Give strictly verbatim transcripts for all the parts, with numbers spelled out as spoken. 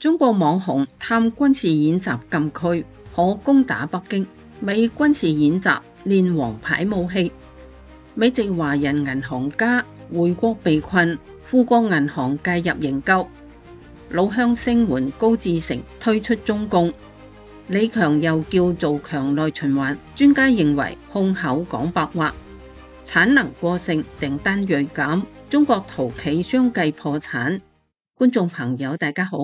中國網紅探軍事演習禁區，可攻打北京。美軍事演習練王牌武器。美籍華人銀行家回國被困，富國銀行介入營救。老鄉聲援高志成退出中共。李強又叫做強內循環，專家認為空口講白話。產能過剩，訂單銳減，中國陶企相繼破產。觀眾朋友大家好。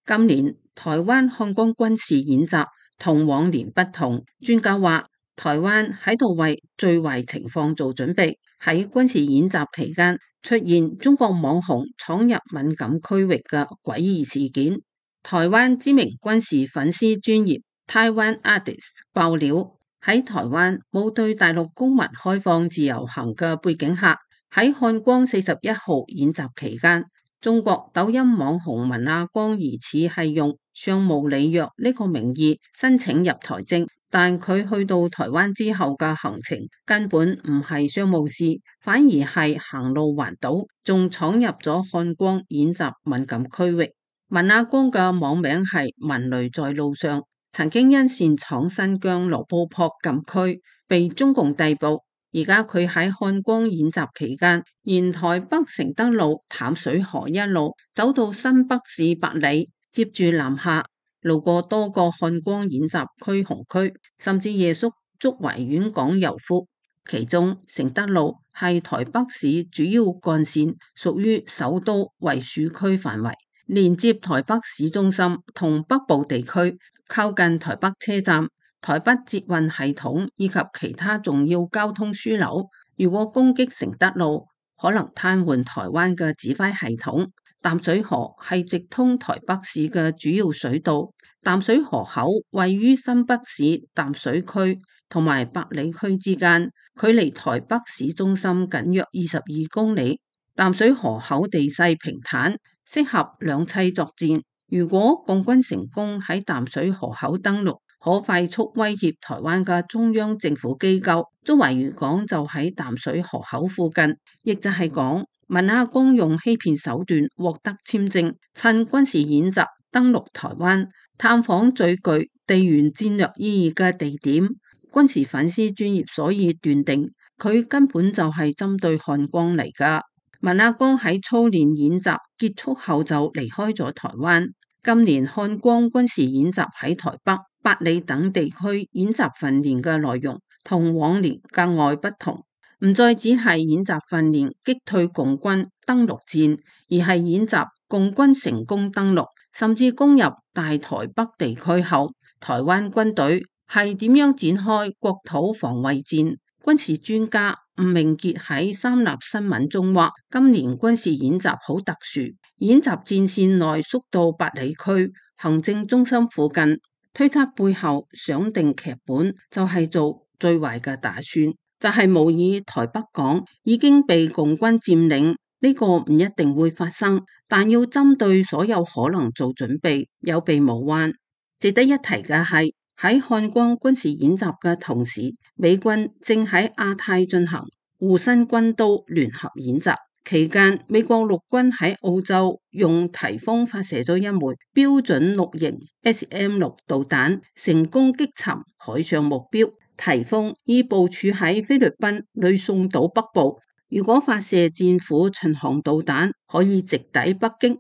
今年台灣漢光軍事演習同往年不同，專家話台灣喺度為最壞情況做準備。喺軍事演習期間出現中國網紅闖入敏感區域嘅詭異事件。台灣知名軍事粉絲專頁 Taiwan Artist 爆料，喺台灣冇對大陸公民開放自由行嘅背景下，喺漢光四十一號演習期間，中國抖音網紅文亞光疑似係用商務履約呢個名義申請入台證，但佢去到台灣之後嘅行程根本唔係商務事，反而係行路環島，仲闖入咗漢光演習敏感區域。文亞光嘅網名係文雷在路上，曾經因擅闖新疆羅布泊禁區被中共逮捕。而家佢喺漢光演習期間，沿台北承德路淡水河一路走到新北市八里，接住南下，路過多個漢光演習區紅區，甚至夜宿竹圍遠港油庫。其中承德路係台北市主要幹線，屬於首都衛戍區範圍，連接台北市中心同北部地區，靠近台北車站、台北捷運系統以及其他重要交通樞紐。如果攻擊承德路，可能癱瘓台灣嘅指揮系統。淡水河係直通台北市嘅主要水道，淡水河口位於新北市淡水區同埋八里區之間，距離台北市中心僅約二十二公里。淡水河口地勢平坦，適合兩棲作戰。如果共軍成功喺淡水河口登陸，可快速威脅台灣嘅中央政府機構。竹圍漁港就喺淡水河口附近，亦就係講文亞光用欺騙手段獲得簽證，趁軍事演習登陸台灣，探訪最具地緣戰略意義嘅地點。軍事粉絲專業所以斷定佢根本就係針對漢光嚟㗎。文亞光喺操練演習結束後就離開咗台灣。今年漢光軍事演習喺台北、八里等地區演習訓練嘅內容同往年格外不同，唔再只係演習訓練擊退共軍登陸戰，而係演習共軍成功登陸，甚至攻入大台北地區後，台灣軍隊係點樣展開國土防衛戰。軍事專家吳明傑喺三立新聞中話，今年軍事演習好特殊，演習戰線內縮到八里區行政中心附近，推測背後想定劇本就係做最壞嘅打算，就係模擬台北港已經被共軍佔領。呢個唔一定會發生，但要針對所有可能做準備，有備無患。值得一提嘅係，喺漢光軍事演習嘅同時，美軍正喺亞太進行護身軍刀聯合演習。期間，美國陸軍喺澳洲用颱風發射咗一枚標準六型 S M 六導彈，成功擊沉海上目標。颱風已部署喺菲律賓呂宋島北部，如果發射戰斧巡航導彈，可以直抵北京。《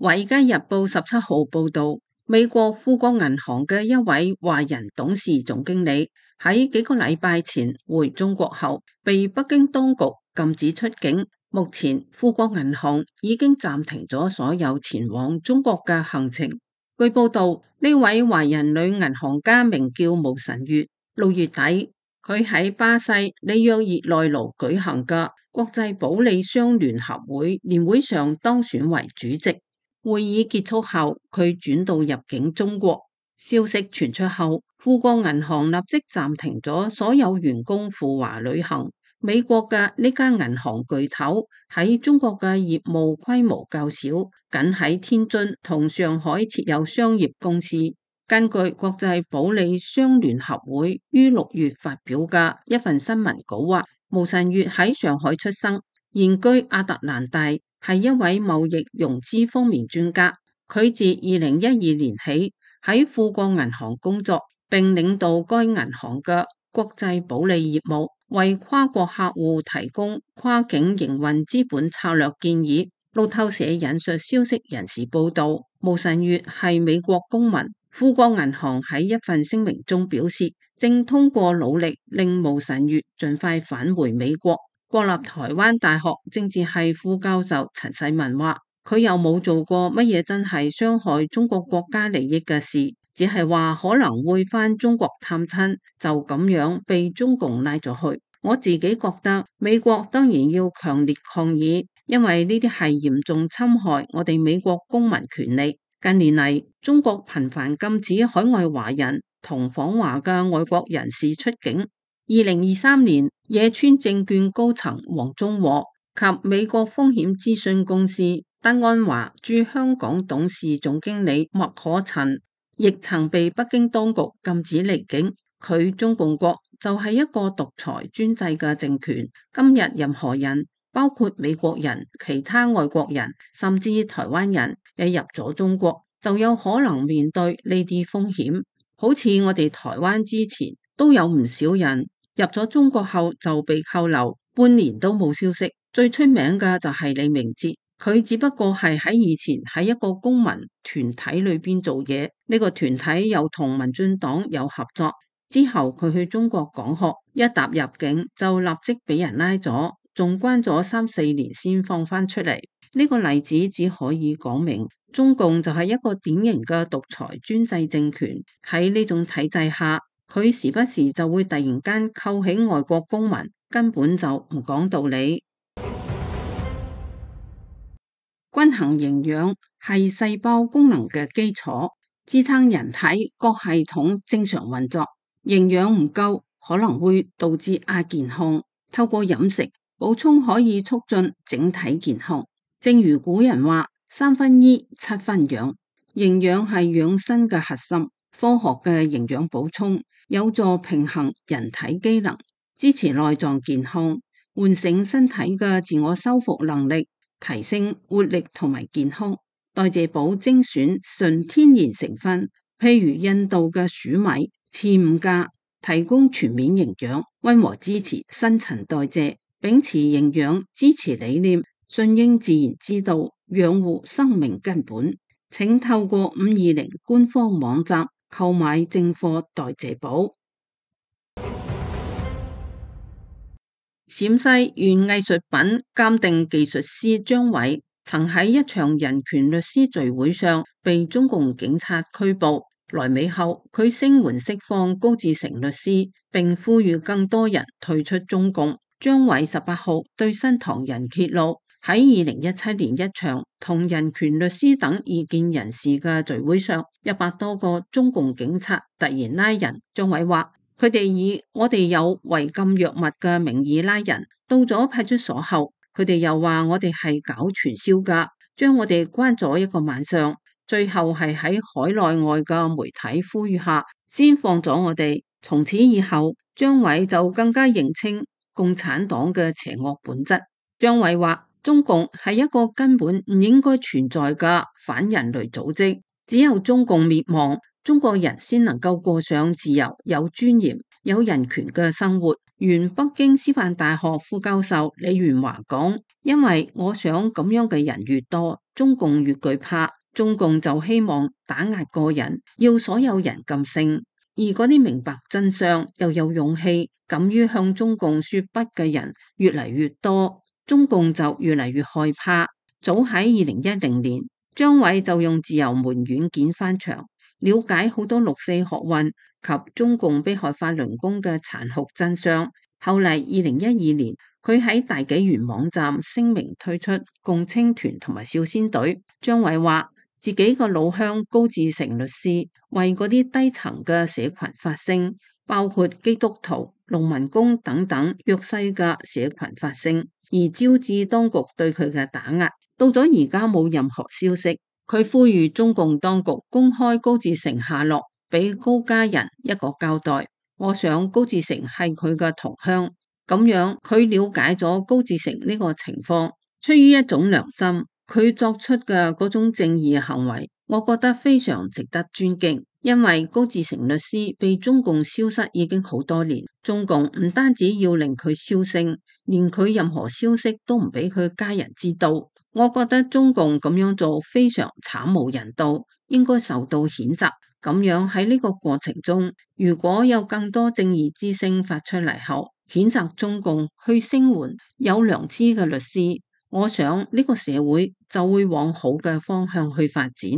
華爾街日報》十七號報道，美國富國銀行嘅一位華人董事總經理喺幾個禮拜前回中國後，被北京當局禁止出境。目前富國銀行已經暫停咗所有前往中國嘅行程。據報道，呢位華人女銀行家名叫毛晨月。六月底，佢喺巴西里約熱內盧舉行嘅國際保利商聯合會年會上當選為主席。會議結束後，佢轉到入境中國。消息傳出後，富國銀行立即暫停咗所有員工赴華旅行。美國嘅呢家銀行巨頭喺中國嘅業務規模較少，僅喺天津同上海設有商業公司。根據國際保利商聯合會於六月發表嘅一份新聞稿話，毛晨月喺上海出生，現居亞特蘭大，係一位貿易融資方面專家。佢自二零一二年起喺富國銀行工作，並領導該銀行嘅國際保理業務，為跨國客戶提供跨境營運資本策略建議。路透社引述消息人士報道，毛晨月係美國公民。富國銀行喺一份聲明中表示，正通過努力令毛晨月盡快返回美國。國立台灣大學政治系副教授陳世文話，佢又冇做過乜嘢真係傷害中國國家利益嘅事，只係話可能會返中國探親，就咁樣被中共拉咗去。我自己覺得美國當然要強烈抗議，因為呢啲係嚴重侵害我哋美國公民權利。近年嚟，中國頻繁禁止海外華人同訪華嘅外國人士出境。二零二三年，野村證券高層黃忠和及美國風險諮詢公司德安華駐香港董事總經理麥可陳亦曾被北京當局禁止離境。佢中共國就係一個獨裁專制嘅政權，今日任何人，包括美國人、其他外國人，甚至台灣人，一入咗中國就有可能面對呢啲風險。好似我哋台灣之前都有唔少人入咗中國後就被扣留，半年都冇消息。最出名嘅就係李明哲，佢只不過係喺以前喺一個公民團體裏邊做嘢，呢個團體又同民進黨有合作。之後佢去中國講學，一踏入境就立即俾人拉咗，仲關咗三四年先放翻出嚟。呢個例子只可以講明，中共就係一個典型嘅獨裁專制政權。喺呢種體制下，佢時不時就會突然間扣起外國公民，根本就唔講道理。均衡營養係細胞功能嘅基礎，支撐人體各系統正常運作。營養唔夠可能會導致亞健康，透過飲食補充可以促進整體健康。正如古人話，三分醫七分養，營養係養生嘅核心。科學嘅營養補充有助平衡人體機能，支持內臟健康，喚醒身體嘅自我修復能力，提升活力同埋健康。代謝寶精選純天然成分，譬如印度嘅黍米、刺五加，提供全面營養，溫和支持新陳代謝，秉持營養支持理念，順應自然之道，養護生命根本。請透過五二零官方網站購買正貨代謝寶。陝西縣藝術品鑑定技術師張偉曾喺一場人權律師聚會上被中共警察拘捕。來美後，佢聲援釋放高志成律師，並呼籲更多人退出中共。張偉十八號對新唐人揭露，喺二零一七年一場同人權律師等異見人士嘅聚會上，一百多個中共警察突然拉人。張偉話，佢哋以我哋有違禁藥物嘅名義拉人，到咗派出所後，佢哋又話我哋係搞傳銷㗎，將我哋關咗一個晚上。最後係喺海內外嘅媒體呼籲下，先放咗我哋。從此以後，張偉就更加認清共產黨嘅邪惡本質。張偉話，中共係一個根本唔應該存在嘅反人類組織，只有中共滅亡，中國人先能夠過上自由、有尊嚴、有人權嘅生活。原北京師範大學副教授李元華講，因為我想咁樣嘅人越多，中共越懼怕。中共就希望打壓個人，要所有人噤聲，而嗰啲明白真相又有勇氣敢於向中共說不嘅人越嚟越多，中共就越嚟越害怕。早喺二零一零年，張偉就用自由門軟件翻牆，了解好多六四學運及中共迫害法輪功嘅殘酷真相。後嚟二零一二年，佢喺大紀元網站聲明退出共青團同埋少先隊。張偉話，自己個老鄉高志成律師為嗰啲低層嘅社群發聲，包括基督徒、農民工等等弱勢嘅社群發聲，而招致當局對佢嘅打壓。到咗而家冇任何消息，佢呼籲中共當局公開高志成下落，俾高家人一個交代。我想高志成係佢嘅同鄉，咁樣佢了解咗高志成呢個情況，出於一種良心，佢作出嘅嗰種正義行為，我覺得非常值得尊敬。因為高志成律師被中共消失已經好多年，中共唔單止要令佢銷聲，連佢任何消息都唔俾佢家人知道。我覺得中共咁樣做非常慘無人道，應該受到譴責。咁樣喺呢個過程中，如果有更多正義之聲發出嚟後，譴責中共去聲援有良知嘅律師，我想呢個社會就會往好嘅方向去發展。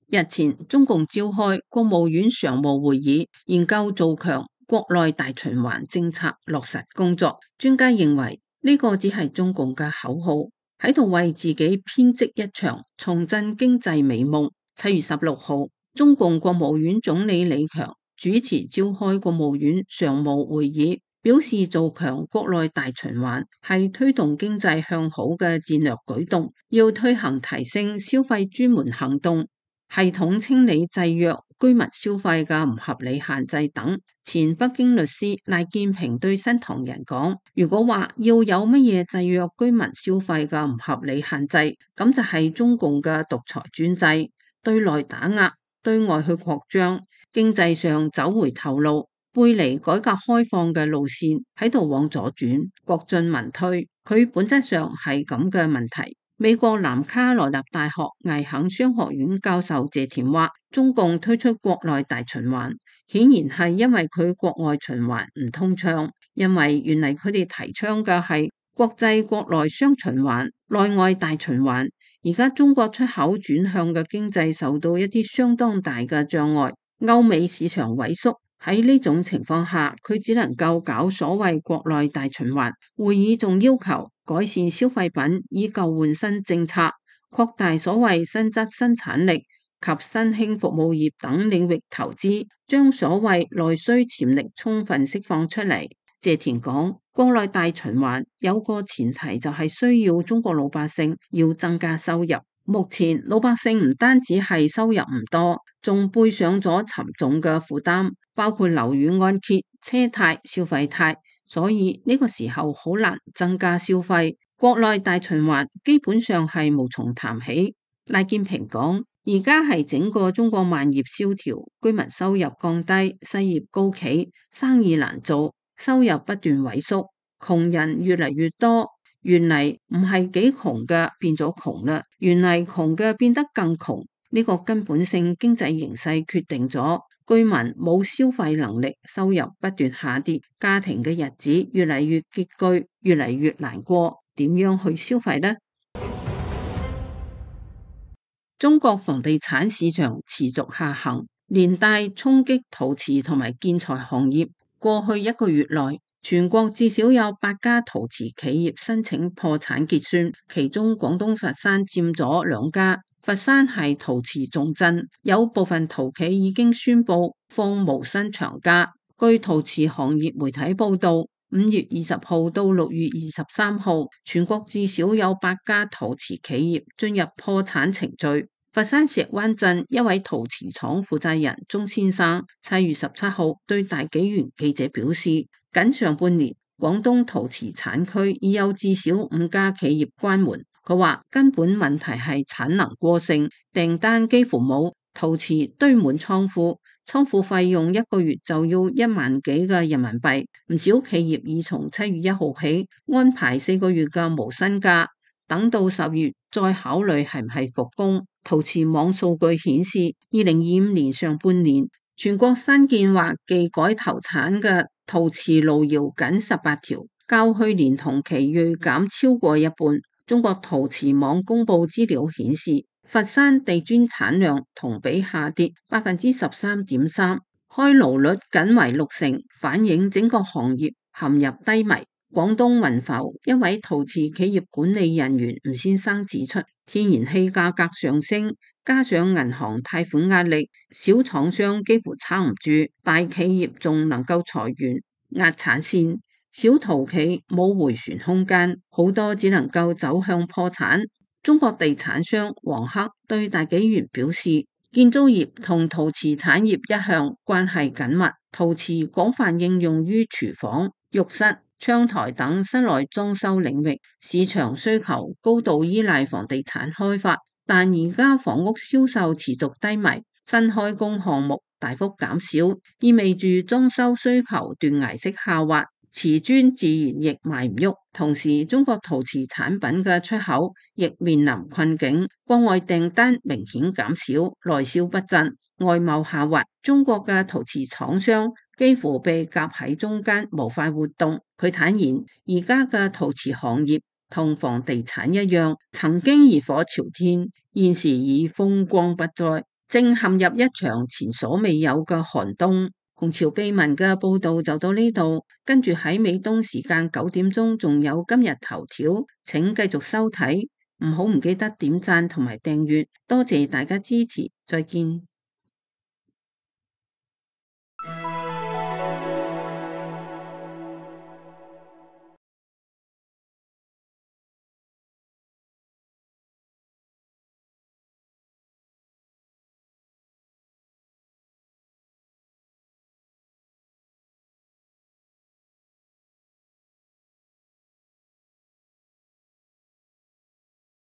日前，中共召開國務院常務會議，研究做強國內大循環政策落實工作。專家認為呢個只係中共嘅口號，喺度為自己編織一場重振經濟美夢。七月十六號，中共國務院總理李強主持召開國務院常務會議，表示做強國內大循環係推動經濟向好嘅戰略舉動，要推行提升消費專門行動，系統清理制約居民消費嘅唔合理限制等。前北京律師賴建平對新唐人講：如果話要有乜嘢制約居民消費嘅唔合理限制，咁就係中共嘅獨裁專制，對內打壓，對外去擴張，經濟上走回頭路，背離改革開放嘅路線，喺度往左轉，國進民退。佢本質上係咁嘅問題。美國南卡羅納大學艾肯商學院教授謝田話：中共推出國內大循環，顯然係因為佢國外循環唔通暢，因為原嚟佢哋提倡嘅係國際國內雙循環、內外大循環。而家中國出口轉向嘅經濟受到一啲相當大嘅障礙，歐美市場萎縮。喺呢種情況下，佢只能夠搞所謂國內大循環。會議仲要求改善消費品以舊換新政策，擴大所謂新質生產力及新興服務業等領域投資，將所謂內需潛力充分釋放出嚟。謝田講，國內大循環有個前提就係需要中國老百姓要增加收入。目前老百姓唔單止係收入唔多，仲背上咗沉重嘅負擔，包括樓宇按揭、車貸、消費貸，所以呢個時候好難增加消費。國內大循環基本上係無從談起。賴建平講，而家係整個中國萬業蕭條，居民收入降低，失業高企，生意難做，收入不斷萎縮，窮人越嚟越多。原嚟唔係幾窮嘅變咗窮啦，原嚟窮嘅變得更窮。呢個根本性經濟形勢決定咗居民冇消費能力，收入不斷下跌，家庭嘅日子越嚟越拮據，越嚟越難過。點樣去消費呢？中國房地產市場持續下行，連帶衝擊陶瓷同埋建材行業。過去一個月內，全國至少有八家陶瓷企業申請破產結算，其中廣東佛山佔咗兩家。佛山係陶瓷重鎮，有部分陶企已經宣布放無薪長假。據陶瓷行業媒體報道，五月二十號到六月二十三號，全國至少有八家陶瓷企業進入破產程序。佛山石灣鎮一位陶瓷廠負責人鍾先生七月十七號對大紀元記者表示，僅上半年廣東陶瓷產區已有至少五家企業關門。佢話根本問題係產能過剩，訂單幾乎冇，陶瓷堆滿倉庫，倉庫費用一個月就要一萬幾嘅人民幣。唔少企業已從七月一號起安排四個月嘅無薪假，等到十月再考慮係唔係復工。陶瓷網數據顯示，二零二五年上半年全國新建或技改投產嘅陶瓷路遙僅十八條，較去年同期銳減超過一半。中國陶瓷網公布資料顯示，佛山地磚產量同比下跌百分之十三點三，開爐率僅為六成，反映整個行業陷入低迷。廣東雲浮一位陶瓷企業管理人員吳先生指出，天然氣價格上升，加上銀行貸款壓力，小廠商幾乎撐唔住，大企業仲能夠裁員壓產線，小陶企冇回旋空間，好多只能夠走向破產。中國地產商黃克對大紀元表示，建築業同陶瓷產業一向關係緊密，陶瓷廣泛應用於廚房、浴室、窗台等室內裝修領域，市場需求高度依賴房地產開發，但而家房屋銷售持續低迷，新開工項目大幅減少，意味住裝修需求斷崖式下滑，瓷磚自然亦賣唔喐。同時，中國陶瓷產品嘅出口亦面臨困境，國外訂單明顯減少，內銷不振，外貿下滑，中國嘅陶瓷廠商幾乎被夾喺中間，無法活動。佢坦言，而家嘅陶瓷行業同房地產一樣，曾經熱火朝天，現時已風光不再，正陷入一場前所未有嘅寒冬。紅潮秘聞嘅報道就到呢度，跟住喺美東時間九點鐘仲有今日頭條，請繼續收睇，唔好唔記得點讚同埋訂閱，多謝大家支持，再見。